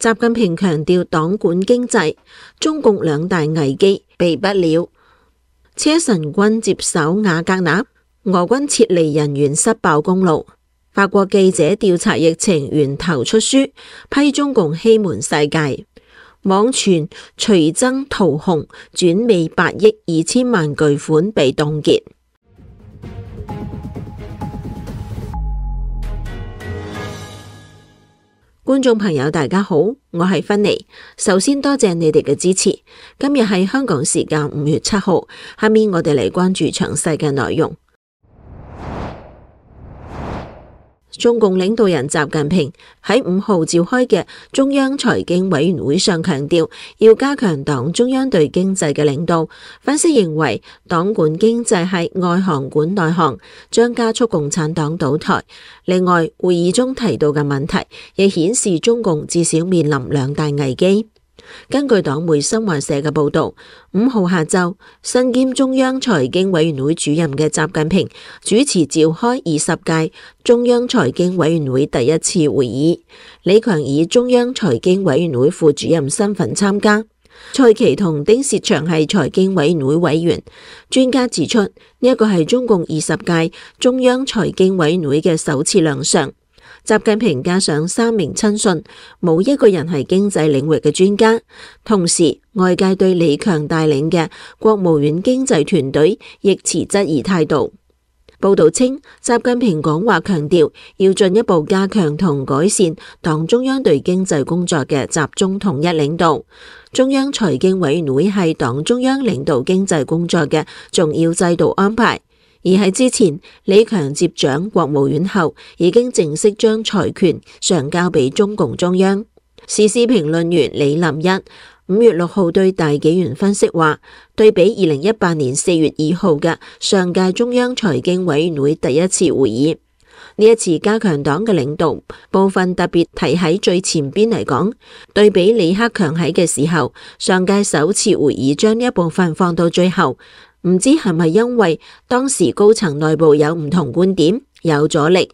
習近平強調黨管經濟，中共兩大危機避不了。車臣軍接手瓦格納，俄軍撤離人員失爆公路。法國記者調查疫情源頭出書，批中共欺瞞世界。網傳徐崢桃紅轉美8億2千萬巨款被凍結。觀眾朋友大家好，我係芬妮，首先多謝你哋嘅支持。今日係香港時間5月7號，下面我哋嚟關注詳細嘅內容。中共領導人習近平喺5號召開嘅中央財經委員會上強調，要加強黨中央對經濟嘅領導。分析認為，黨管經濟係外行管內行，將加速共產黨倒台。另外，會議中提到嘅問題，亦顯示中共至少面臨兩大危機。根據黨媒新華社嘅報道，5號下晝，身兼中央財經委員會主任嘅習近平主持召開20屆中央財經委員會第一次會議。李強以中央財經委員會副主任身份參加，蔡奇同丁薛祥係財經委員會委員。專家指出，呢一個係中共20屆中央財經委員會嘅首次亮相。習近平加上3名親信，冇一個人係經濟領域嘅專家。同時，外界對李強帶領嘅國務院經濟團隊亦持質疑態度。報道稱，習近平講話強調要進一步加強同改善黨中央對經濟工作嘅集中統一領導。中央財經委員會係黨中央領導經濟工作嘅重要制度安排。而喺之前，李強接掌國務院後，已經正式將財權上交俾中共中央。時事評論員李林一5月6號對大紀元分析話，對比2018年4月2號嘅上屆中央財經委員會第一次會議，呢一次加強黨嘅領導部分特別提喺最前邊嚟講，對比李克強喺嘅時候，上屆首次會議將呢一部分放到最後。唔知係咪因為當時高層內部有唔同觀點，有阻力，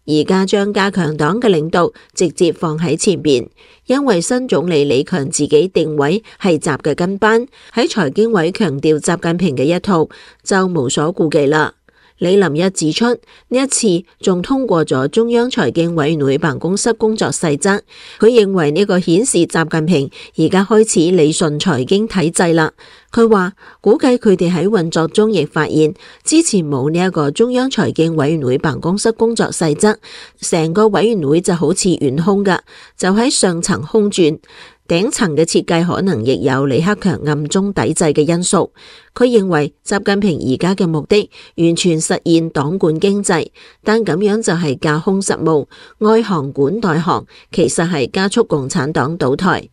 而家將加強黨嘅領導直接放喺前邊，因為新總理李強自己定位係習嘅跟班，喺財經委強調習近平嘅一套，就無所顧忌啦。李林一指出，呢一次仲通過咗中央財經委員會辦公室工作細則，佢認為呢個顯示習近平而家開始理順財經體制啦。佢話估計佢哋喺運作中亦發現之前冇呢一個中央財經委員會辦公室工作細則，成個委員會就好似懸空噶，就喺上層空轉。頂層嘅設計可能亦有李克強暗中抵制嘅因素。佢認為習近平而家嘅目的完全實現黨管經濟，但咁樣就係架空實務，外行管內行，其實係加速共產黨倒台。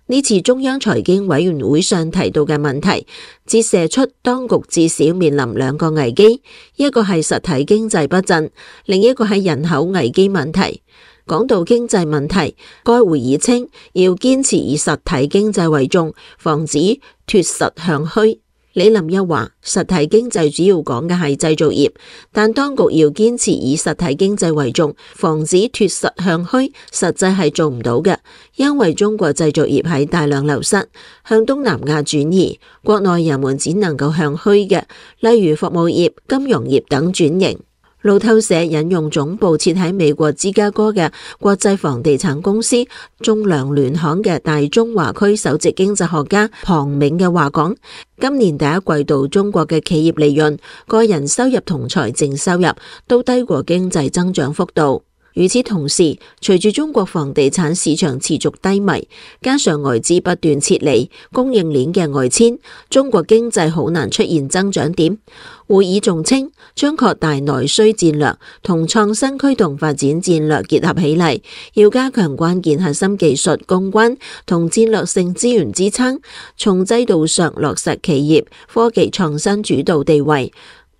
呢次中央財經委員會上提到嘅問題，折射出當局至少面臨兩個危機，一個係實體經濟不振，另一個係人口危機問題。講到經濟問題，該會議稱要堅持以實體經濟為重，防止脫實向虛。李林一話，實體經濟主要講嘅係製造業，但當局要堅持以實體經濟為重，防止脫實向虛，實際係做唔到嘅，因為中國製造業喺大量流失，向東南亞轉移，國內人們只能夠向虛嘅，例如服務業、金融業等轉型。路透社引用總部設喺美國芝加哥嘅國際房地產公司仲量聯行嘅大中華區首席經濟學家龐銘嘅話講，今年第一季度中國嘅企業利潤、個人收入同財政收入都低過經濟增長幅度。與此同時，隨住中國房地產市場持續低迷，加上外資不斷撤離，供應鏈嘅外遷，中國經濟好難出現增長點。會議仲稱，將擴大內需戰略同創新驅動發展戰略結合起嚟，要加強關鍵核心技術攻關同戰略性資源支撐，從制度上落實企業科技創新主導地位。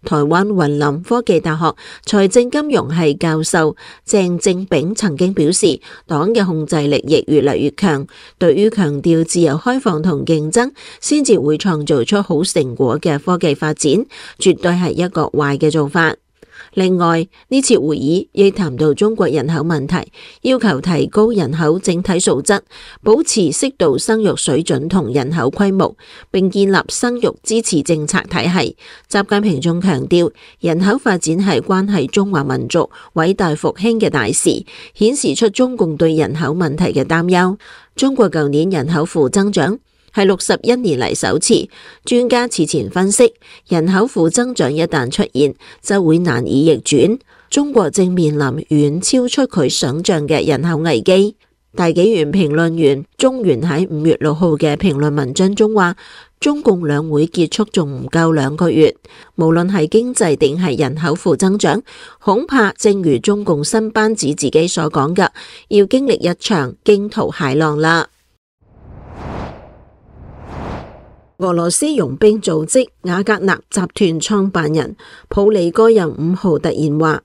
台灣雲林科技大學財政金融系教授鄭正炳曾經表示，黨嘅控制力亦越嚟越強，對於強調自由開放同競爭先至會創造出好成果嘅科技發展，絕對係一個壞嘅做法。另外，呢次會議亦談到中國人口問題，要求提高人口整體素質，保持適度生育水準同人口規模，並建立生育支持政策體系。習近平仲強調，人口發展係關係中華民族偉大復興嘅大事，顯示出中共對人口問題嘅擔憂。中國舊年人口負增長係61年嚟首次，專家此前分析，人口負增長一旦出現，就會難以逆轉。中國正面臨遠超出佢想象嘅人口危機。大紀元評論員鍾原喺5月6號嘅評論文章中話，中共兩會結束仲唔夠2個月，無論係經濟定係人口負增長，恐怕正如中共新班子自己所講嘅，要經歷一場驚濤駭浪啦。俄羅斯傭兵組織瓦格納集團創辦人普里戈任5號突然話，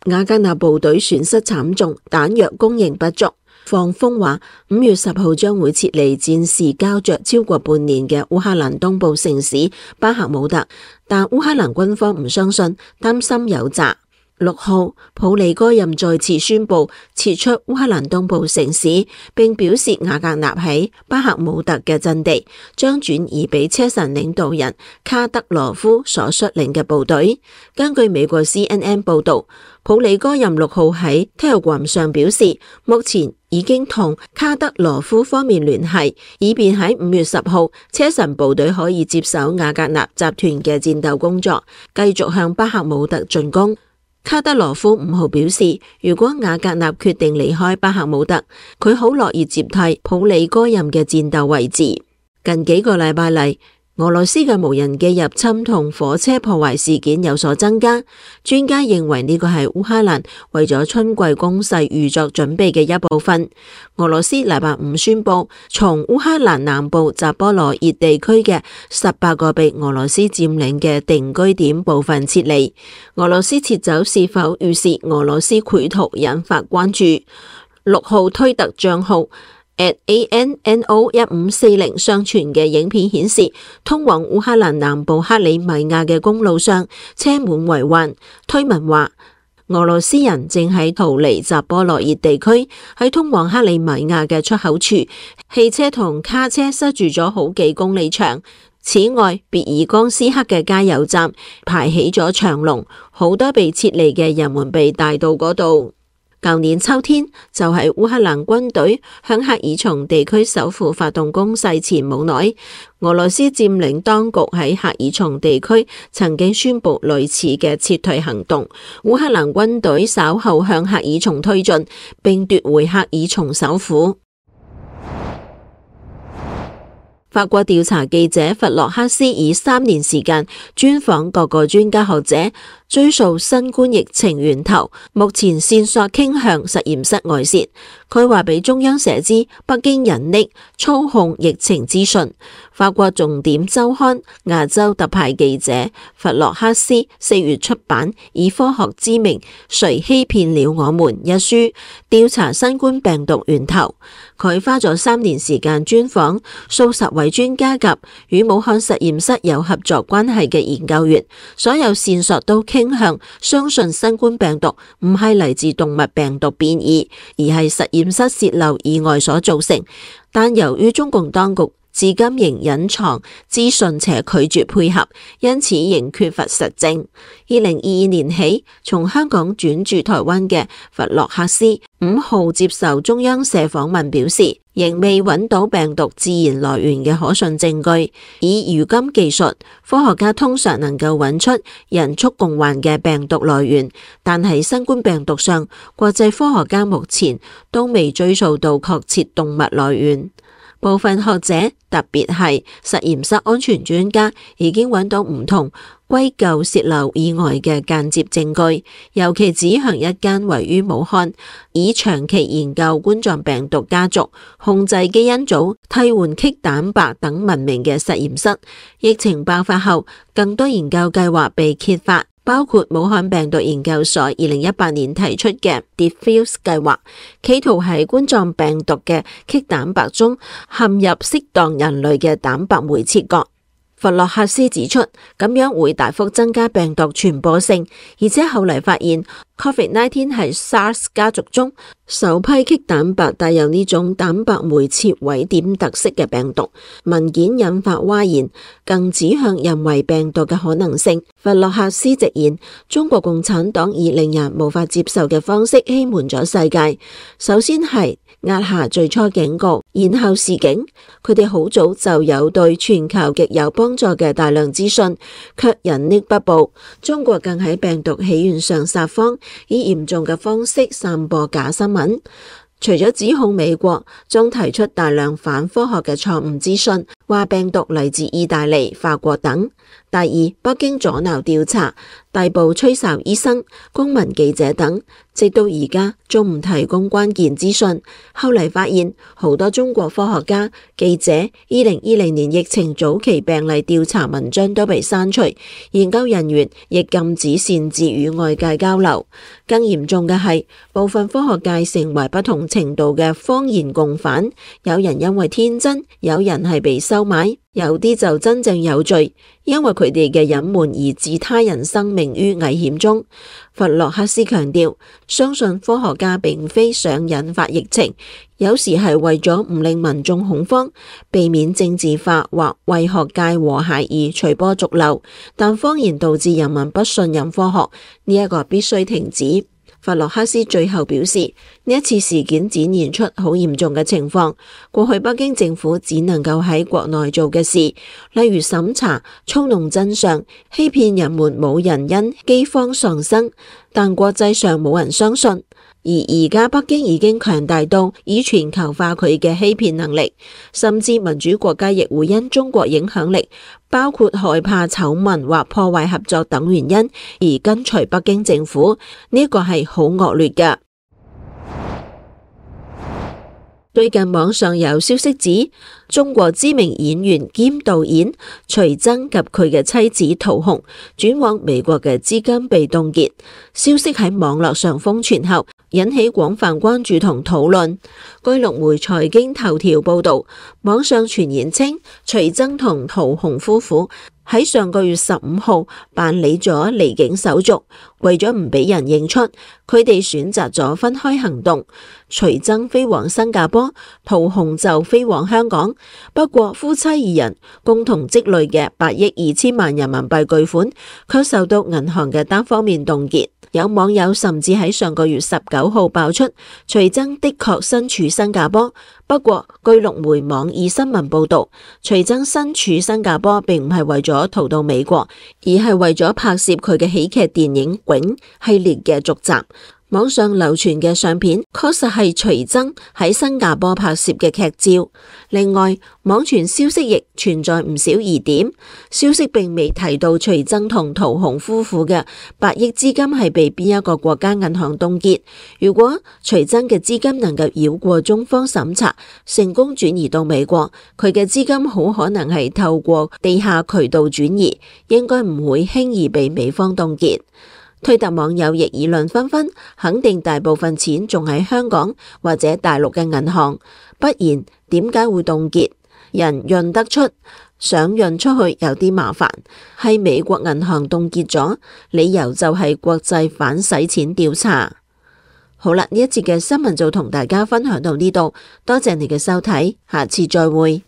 瓦格納部隊損失慘重，彈藥供應不足，放風話5月10號將會撤離戰事膠着超過半年嘅烏克蘭東部城市巴赫姆特，但烏克蘭軍方唔相信，擔心有詐。6號，普里戈任再次宣布撤出烏克蘭東部城市，並表示瓦格納喺巴赫姆特嘅陣地將轉移俾車臣領導人卡德羅夫所率領嘅部隊。根據美國 CNN 報道，普里戈任6號喺 Telegram 上表示，目前已經同卡德羅夫方面聯繫，以便喺5月10號車臣部隊可以接手瓦格納集團嘅戰鬥工作，繼續向巴赫姆特進攻。卡德羅夫5號表示，如果瓦格納決定離開巴赫姆特，佢好樂意接替普里戈任嘅戰鬥位置。近幾個禮拜嚟，俄羅斯嘅無人機入侵同火車破壞事件有所增加，專家認為呢個係烏克蘭為咗春季攻勢預作準備嘅一部分。俄羅斯禮拜5宣布，從烏克蘭南部扎波羅熱地區嘅18個被俄羅斯佔領嘅定居點部分撤離。俄羅斯撤走是否預示俄羅斯繪圖引發關注。6號推特賬號@ANNO1540 上傳嘅影片顯示，通往烏克蘭南部克里米亞嘅公路上車滿為患。推文話，俄羅斯人正喺逃離扎波羅熱地區，喺通往克里米亞嘅出口處，汽車同卡車塞住咗好幾公里長。此外，別爾江斯克嘅加油站排起咗長龍，好多被撤離嘅人們被帶到嗰度。舊年秋天就係烏克蘭軍隊向赫爾松地區首府發動攻勢前冇耐，俄羅斯佔領當局喺赫爾松地區曾經宣布類似嘅撤退行動。烏克蘭軍隊稍後向赫爾松推進，並奪回赫爾松首府。法國調查記者弗洛克斯以3年時間專訪各個專家學者，追溯新冠疫情源頭，目前線索傾向實驗室外泄。佢話俾中央社知，北京隱匿操控疫情資訊。法國重點周刊亞洲特派記者弗洛克斯4月出版以科學之名誰欺騙了我們一書，調查新冠病毒源頭。佢花咗3年時間專訪數十位專家及與武漢實驗室有合作關係嘅研究員，所有線索都傾向相信新冠病毒唔係嚟自動物病毒變異，而係實驗室洩漏意外所造成。但由於中共當局至今仍隱藏資訊且拒絕配合，因此仍缺乏實證。2022年起，從香港轉駐台灣嘅弗洛克斯5號接受中央社訪問表示，仍未揾到病毒自然來源嘅可信證據。以如今技術，科學家通常能夠揾出人畜共患嘅病毒來源，但係新冠病毒上，國際科學家目前都未追溯到確切動物來源。部分學者，特別係實驗室安全專家，已經揾到唔同歸咎洩漏意外嘅間接證據，尤其指向一間位於武漢，以長期研究冠狀病毒家族、控制基因組、替換棘蛋白等聞名嘅實驗室。疫情爆發後，更多研究計劃被揭發，包括武漢病毒研究所2018年提出嘅 Diffuse 計劃，企圖喺冠狀病毒嘅棘蛋白中嵌入適當人類嘅蛋白酶切割。弗洛克斯指出，咁樣會大幅增加病毒傳播性，而且後嚟發現 COVID-19 係 SARS 家族中首批棘蛋白帶有呢種蛋白酶切位點特色嘅病毒。文件引發嘩然，更指向人為病毒嘅可能性。弗洛克斯直言，中國共產黨以令人無法接受嘅方式欺瞞咗世界，首先係壓下最初警告，然後示警。佢哋好早就有對全球極有幫助嘅大量資訊，卻隱匿不報。中國更喺病毒起源上撒謊，以嚴重嘅方式散播假新聞。除咗指控美國，仲提出大量反科學嘅錯誤資訊，話病毒嚟自意大利、法國等。第二，北京阻撓調查，逮捕吹哨醫生、公民記者等，直到而家仲唔提供關鍵資訊。後嚟發現好多中國科學家、記者2020年疫情早期病例調查文章都被刪除，研究人員亦禁止擅自與外界交流。更嚴重嘅係，部分科學界成為不同程度嘅謊言共犯，有人因為天真，有人係被收買，有啲就真正有罪，因為佢哋嘅隱瞞而置他人生命於危險中。弗洛克斯強調，相信科學家並非想引發疫情，有時係為咗唔令民眾恐慌，避免政治化或為學界和諧而隨波逐流。但謊言導致人民不信任科學，呢一個必須停止。弗洛克斯最後表示，呢一次事件展現出好嚴重嘅情況。過去北京政府只能夠喺國內做嘅事，例如審查、操弄真相、欺騙人們，冇人因饑荒喪生，但國際上冇人相信。而而家北京已經強大到以全球化佢嘅欺騙能力，甚至民主國家亦會因中國影響力，包括害怕醜聞或破壞合作等原因而跟隨北京政府，呢個係好惡劣嘅。最近網上有消息指，中國知名演員兼導演徐崢及佢嘅妻子陶虹轉往美國嘅資金被凍結。消息喺網絡上瘋傳後，引起廣泛關注同討論。據陸媒財經頭條報道，網上傳言稱徐崢同陶虹夫婦喺上個月15號辦理咗離境手續，為咗唔俾人認出，佢哋選擇咗分開行動。徐崢飛往新加坡，陶虹就飛往香港。不過夫妻二人共同積累嘅8億2千萬人民幣巨款，卻受到銀行嘅單方面凍結。有網友甚至喺上個月19號爆出，徐崢的確身處新加坡。不過據陸媒網易新聞報道，徐崢身處新加坡並唔係為咗逃到美國，而係為咗拍攝佢嘅喜劇電影《囧》系列嘅續集。網上流傳嘅相片確實係徐崢喺新加坡拍攝嘅劇照。另外，網傳消息亦存在唔少疑點。消息並未提到徐崢同陶虹夫婦嘅8億資金係被邊一個國家銀行凍結。如果徐崢嘅資金能夠繞過中方審查，成功轉移到美國，佢嘅資金好可能係透過地下渠道轉移，應該唔會輕易被美方凍結。推特網友亦議論紛紛，肯定大部分錢仲喺香港或者大陸嘅銀行，不然點解會凍結？人認得出，想認出去有啲麻煩，係美國銀行凍結咗，理由就係國際反洗錢調查。好啦，呢一節嘅新聞就同大家分享到呢度，多謝你嘅收睇，下次再會。